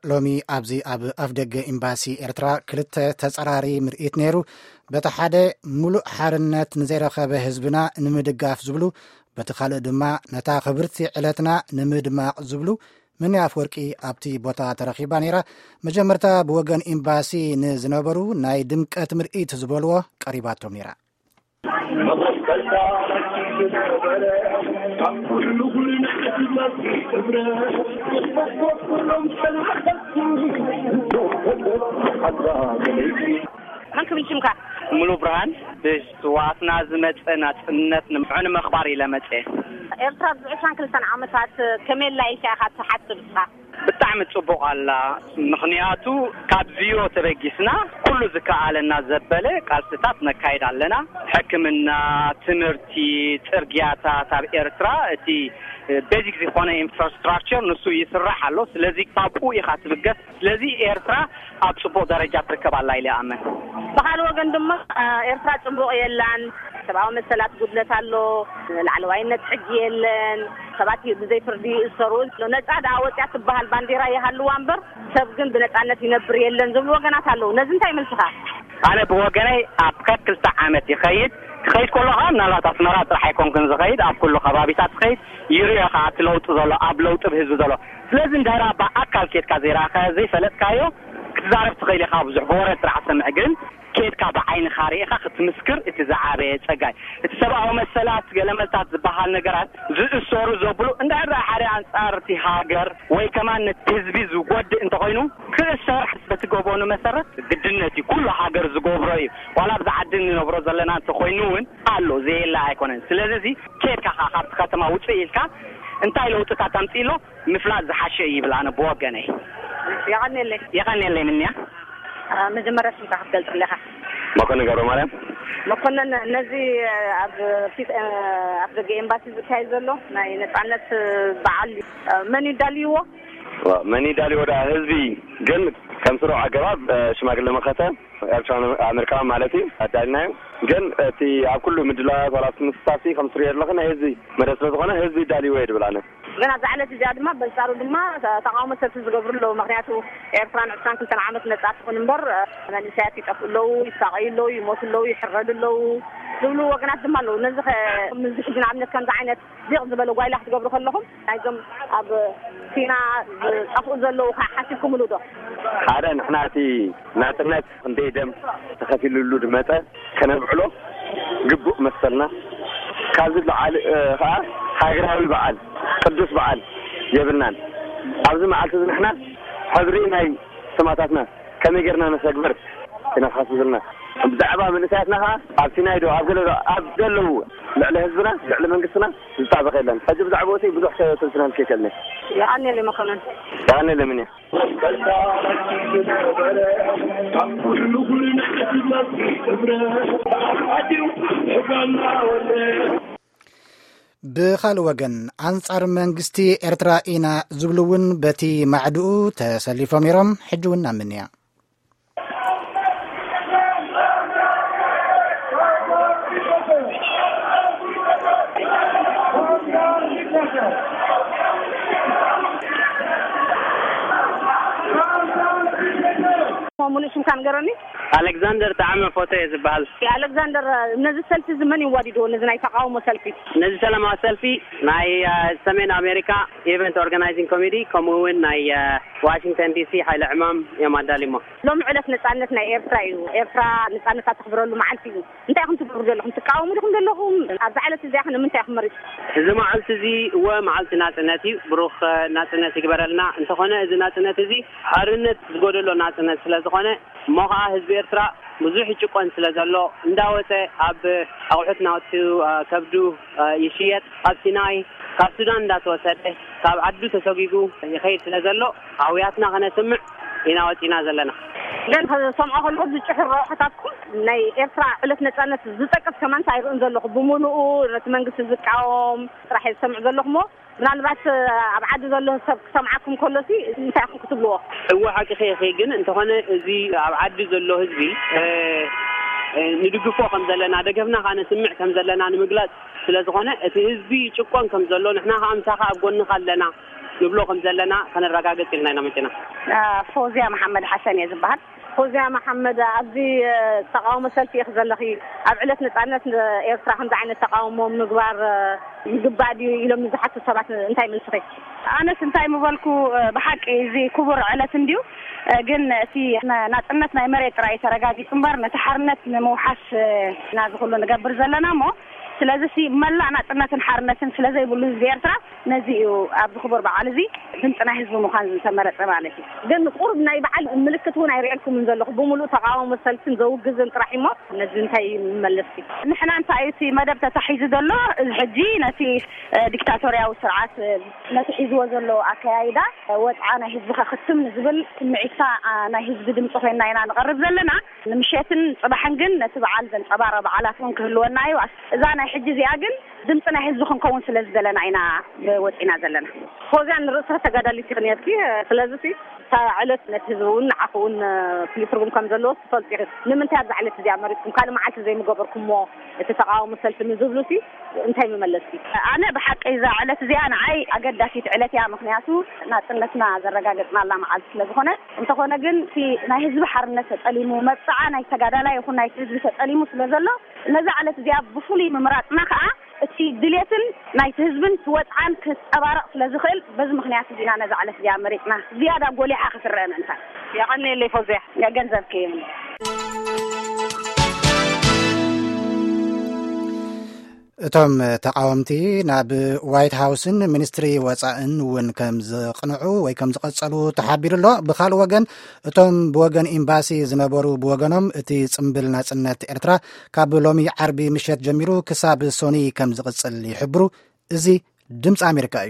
ሎሚ ኣብዚ ኣብ ኣፍደገ ኤምባሲ ኤርትራ ክልተ ተጸራሪ ምርኢት ነይሩ። በቲ ሓደ፣ ሙሉእ ሓርነት ንዘይረኸበ ህዝብና ንምድጋፍ ዝብሉ፣ በቲ ካልእ ድማ ነታ ክብርቲ ዕለትና ንምድማቕ ዝብሉ። ምንያ ኣፍወርቂ ኣብቲ ቦታ ተረኺባ ነይራ። መጀመርታ ብወገን ኤምባሲ ንዝነበሩ ናይ ድምቀት ምርኢት ዝበልዎ ቀሪባቶም ነይራ። መን ክብል ሽምካ? ሙሉ ብርሃን። ብስዋትና ዝመፀ ናፅነት ንምዕኑ መኽባር ኢለ መፀ። ኤርትራ ኣብዚ ዕስራን ክልተን ዓመታት ከመይ ኣላ ኢልካ ኢኻ ትሓስብ እስኻ? ብጣዕሚ ፅቡቕ ኣላ። ምኽንያቱ ካብ ዝዮ ተበጊስና ኩሉ ዝከኣለና ዘበለ ቃልስታት ነካይድ ኣለና። ሕክምና፣ ትምህርቲ፣ ፅርግያታት ኣብ ኤርትራ እቲ ቤዚክ ዝኾነ ኢንፍራስትራክቸር ንሱ ይስራሕ ኣሎ። ስለዚ ካብኡ ኢኻ ትብገስ። ስለዚ ኤርትራ ኣብ ፅቡቕ ደረጃ ትርከብ ኣላ ኢለ ይኣምን። ብኻልእ ወገን ድማ ኤርትራ ፅቡቕ የላን። ሰብኣዊ መሰላት ጉድለት ኣሎ። ላዕለዋይነት ሕጊ የለን። ሰባት ብዘይ ፍርዲ ይእሰሩ። ነፃ ደኣ ወፅያ ትበሃል ባንዴራ ይሃልዋ እምበር ሰብ ግን ብነፃነት ይነብር የለን ዝብሉ ወገናት ኣለዉ። ነዚ እንታይ መልስኻ? ኣነ ብወገነይ ኣብ ከክልተ ዓመት ይኸይድ። ክኸይድ ከሎ ከዓ ምናልባት ኣስመራ ጥራሕ ኣይኮንኩን ዝኸይድ፣ ኣብ ኩሉ ከባቢታት ትኸይድ። ይርዮ ከዓ እቲ ለውጢ ዘሎ፣ ኣብ ለውጢ ብህዝቢ ዘሎ። ስለዚ እንድሕር ብኣካል ኬድካ ዘይረኣኻ ዘይፈለጥካዮ ክትዛረብ ትኽእል ኢኻ። ብዙሕ ብወረ ጥራሕ ትሰምዕ፣ ግን ኬድካ ብዓይንኻ ርኢኻ ክትምስክር እቲ ዝዓበየ ጸጋይ። እቲ ሰብኣዊ መሰላት ገለመልታት ዝበሃል ነገራት ዝእሰሩ ዘብሉ እንድሕር ሓደ ኣንጻር እቲ ሃገር ወይ ከማን ነቲ ህዝቢ ዝጎድእ እንተኾይኑ ክእሰር በቲ ገበኑ መሰረት ግድነት እዩ። ኩሉ ሃገር ዝገብሮ እዩ። ዋላ ኣብዚ ዓዲ ንነብሮ ዘለና እንተኾይኑ እውን ኣሎ፣ ዘየለ ኣይኮነን። ስለዚ እዚ ኬድካ ኸዓ ካብቲ ከተማ ውፅእ ኢልካ እንታይ ለውጥታት ኣምፅእ ኣሎ ምፍላጥ ዝሓሸ እዩ ይብል ኣነ ብወገነይ። የቐንየለይ። የቐንየለይ ምንያ። መጀመርያ ሽምካ ክትገልፅለኻ? መኮንን ገብረ ማርያም። መኮንን፣ ነዚ ኣብ ፊት ኣብ ደገ ኤምባሲ ዝካየድ ዘሎ ናይ ነፃነት በዓል መን እዩ ዳልይዎ? መን እዩ ዳልይዎ? ዳ ህዝቢ። ግን ከም ስሩዕ ኣገባብ ሽማግለ መኸተ ኤርትራን ኣሜሪካን ማለት እዩ ኣዳልናዮ። ግን እቲ ኣብ ኩሉ ምድላዋት ዋላ እቲ ምስታፍ ከም ስሩዕ የድለኸ ናይ ህዝቢ መደብ ስለ ዝኾነ ህዝቢ ዳልይዎ እየ ድብል ኣነ። ግን ኣብዛ ዕለት እዚኣ ድማ በንጻሩ ድማ ተቃውሞ ሰልፊ ዝገብሩ ኣለዉ። ምክንያቱ ኤርትራ ንዕስራን ክልተን ዓመት ነጻ ትኹን እምበር መንእሰያት ይጠፍኡ ኣለዉ፣ ይሳቐዩ ኣለዉ፣ ይሞቱ ኣለዉ፣ ይሕረዱ ኣለዉ ዝብሉ ወገናት ድማ ኣለዉ። ነዚ ከ ምስዚ ሕጂ ንኣብነት ከምዚ ዓይነት ዲቕ ዝበለ ጓይላ ክትገብሩ ከለኹም ናይዞም ኣብ ሲና ዝጠፍኡ ዘለዉ ከ ሓሲብኩምሉ ዶ? ሓደ ንሕና እቲ ናጽነት ክንደይ ደም ተኸፊሉሉ ድመጸ ከነብዕሎ ግቡእ መሰልና። ካብዚ ለዓሊ ከዓ ሃገራዊ በዓል ቅዱስ በዓል የብልናን። ኣብዚ መዓልቲ እዚ ንሕና ሕድሪ ናይ ሰማእታትና ከመይ ጌርና ነሰግብር ኢና ክሓስብ ዘለና። ብዛዕባ መንእሰያትና ከዓ ኣብ ሲናይ ዶ ኣብ ገለ ዶ ኣብ ዘለዉ ልዕሊ ህዝብና ልዕሊ መንግስትና ዝጣበቕ የለን። ሕጂ ብዛዕባ እቲ ብዙሕ ተንትናል ከይከልነ። የቐንየለይ መኮንን። የቐንየለይ ምንያ። ብኻልእ ወገን ኣንጻር መንግስቲ ኤርትራ ኢና ዝብሉ እውን በቲ ማዕድኡ ተሰሊፎም ነይሮም። ሕጂ እውን ናብ ምንያ። ሙሉእ ሽምካ ንገረኒ። ኣሌክዛንደር ጣዕመ ፎቶ እየ ዝበሃል። ኣሌክዛንደር፣ ነዚ ሰልፊ እዚ መን ይዋዲድዎ? ነዚ ናይ ተቃውሞ ሰልፊ? ነዚ ሰላማዊ ሰልፊ ናይ ሰሜን ኣሜሪካ ኢቨንት ኦርጋናይዚንግ ኮሚቲ ከምኡ እውን ናይ ዋሽንግተን ዲሲ ሓይለ ዕማም እዮም ኣዳሊሞ። ሎም ዕለት ነጻነት ናይ ኤርትራ እዩ። ኤርትራ ነጻነታ ተኽብረሉ መዓልቲ እዩ። እንታይ ኢኹም ትገብሩ ዘለኹም? ትቃወሙ ዲኹም ዘለኹም? ኣብዛ ዕለት እዚኣ ከ ንምንታይ ኢኹም መሪጽ? እዚ መዓልቲ እዚ እወ መዓልቲ ናጽነት እዩ። ብሩኽ ናጽነት ይግበረልና። እንተኾነ እዚ ናጽነት እዚ ሓርነት ዝጎደሎ ናጽነት ስለ ዝኾነ እሞ ኸዓ ህዝቢ ኤርትራ ብዙሕ ይጭቆን ስለ ዘሎ እንዳወፀ ኣብ ኣቑሑት ናውቲ ከብዱ ይሽየጥ፣ ኣብ ሲናይ ካብ ሱዳን እንዳተወሰደ ካብ ዓዱ ተሰጒጉ ይኸይድ ስለ ዘሎ ኣውያትና ከነስምዕ ኢና ወፂና ዘለና። ግን ሰምዖ ከለኹ ዝጭሕር ረብሕታትኩም ናይ ኤርትራ ዕለት ነፃነት ዝጠቅስ ከማን ኣይርእን ዘለኹ። ብምሉኡ ነቲ መንግስቲ ዝቃወም ጥራሕ ዝሰምዕ ዘለኹ። ምናልባት ኣብ ዓዲ ዘሎ ሰብ ክሰምዓኩም ከሎሲ እንታይ ኢኹም ክትብልዎ? እወ ሓቂ ኸይኺ ግን እንተኾነ እዚ ኣብ ዓዲ ዘሎ ህዝቢ ንድግፎ ከም ዘለና ደገፍና ከነስምዕ ከም ዘለና ንምግላፅ ስለ ዝኾነ እቲ ህዝቢ ይጭቆን ከም ዘሎ ንሕና ከዓ ምሳኻ ኣብ ጎንኻ ኣለና። ንብሎ ከም ዘለና ከነረጋግጽ ኢልና ኢና መጺና። ፎዚያ መሓመድ ሓሰን እየ ዝበሃል። ፎዚያ መሓመድ፣ ኣብዚ ተቃውሞ ሰልፊ ኢኺ ዘለኺ። ኣብ ዕለት ነጻነት ኤርትራ ከምዚ ዓይነት ተቃውሞ ምግባር ይግባእ ድዩ ኢሎም ንዝሓቱ ሰባት እንታይ መልስኺ? ኣነስ እንታይ ምበልኩ፣ ብሓቂ እዚ ክቡር ዕለት እንድዩ፣ ግን እቲ ናጽነት ናይ መሬት ጥራይ ተረጋጊጹ እምበር፣ ነቲ ሓርነት ንምውሓስ ኢና እዚ ኩሉ ንገብር ዘለና እሞ፣ ስለዚ ሲ መላእ ናጽነትን ሓርነትን ስለ ዘይብሉ ህዝቢ ኤርትራ፣ ነዚ እዩ ኣብዚ ክቡር በዓል እዚ ድምፂ ናይ ህዝቢ ምዃን ዝተመረጸ ማለት እዩ። ግን ቁሩብ ናይ በዓል ምልክት እውን ኣይርእየልኩምን ዘለኹ። ብምሉእ ተቃውሞ ሰልፍን ዘውግዝን ጥራሕ እሞ፣ ነዚ እንታይ ይመለስ? ንሕና እንታይ እቲ መደብ ተታሒዙ ዘሎ፣ እዚ ሕጂ ነቲ ዲክታቶርያዊ ስርዓት፣ ነቲ ሒዝዎ ዘሎ ኣከያይዳ፣ ወፅዓ ናይ ህዝቢ ከክትም ንዝብል ስምዒትካ ናይ ህዝቢ ድምፂ ኮይና ኢና ንቐርብ ዘለና። ንምሸትን ጽባሕን ግን ነቲ በዓል ዘንጸባረ በዓላት እውን ክህልወና እዩ። እዛ ናይ ሕጂ እዚኣ ግን ድምፂ ናይ ህዝቢ ክንከውን ስለ ዝደለና ኢና ወፂና ዘለና። ፎዚያ፣ ንርእስኺ ተጋዳሊት ኢኺ ነርኪ። ስለዚ ሲ እታ ዕለት ነቲ ህዝቢ እውን ንዓኺ እውን ፍሉይ ትርጉም ከም ዘለዎ ትፈልጢ ኢኺ። ንምንታይ ኣብዛ ዕለት እዚኣ መሪፅኩም? ካልእ መዓልቲ ዘይምገበርኩምዎ እቲ ተቃውሞ ሰልፊ ንዝብሉ ሲ እንታይ ምመለስኪ? ኣነ ብሓቂ እዛ ዕለት እዚኣ ንዓይ ኣገዳሲት ዕለት እያ። ምክንያቱ ናፅነትና ዘረጋገፅናላ መዓልቲ ስለ ዝኾነ። እንተኾነ ግን እቲ ናይ ህዝቢ ሓርነት ተጠሊሙ፣ መብፅዓ ናይ ተጋዳላይ ይኹን ናይቲ ህዝቢ ተጠሊሙ ስለ ዘሎ፣ ነዛ ዕለት እዚኣ ብፍሉይ ምምራፅና ከዓ እቲ ድሌትን ናይቲ ህዝብን እቲ ወፅዓን ክፀባረቕ ስለ ዝኽእል፣ በዚ ምክንያት እዚ ኢና ነዛ ዕለት እዚኣ መሪፅና። ዝያዳ ጎሊሓ ክትረአ ምእንታን። የቐንየለይ ፎዚያ። ገንዘብኪ። እቶም ተቃወምቲ ናብ ዋይት ሃውስን ሚኒስትሪ ወጻእን እውን ከም ዝቕንዑ ወይ ከም ዝቐጸሉ ተሓቢሩ ኣሎ። ብኻልእ ወገን፣ እቶም ብወገን ኤምባሲ ዝነበሩ ብወገኖም፣ እቲ ጽምብል ናጽነት ኤርትራ ካብ ሎሚ ዓርቢ ምሸት ጀሚሩ ክሳብ ሶኒ ከም ዝቕጽል ይሕብሩ። እዚ ድምፂ ኣሜሪካ እዩ።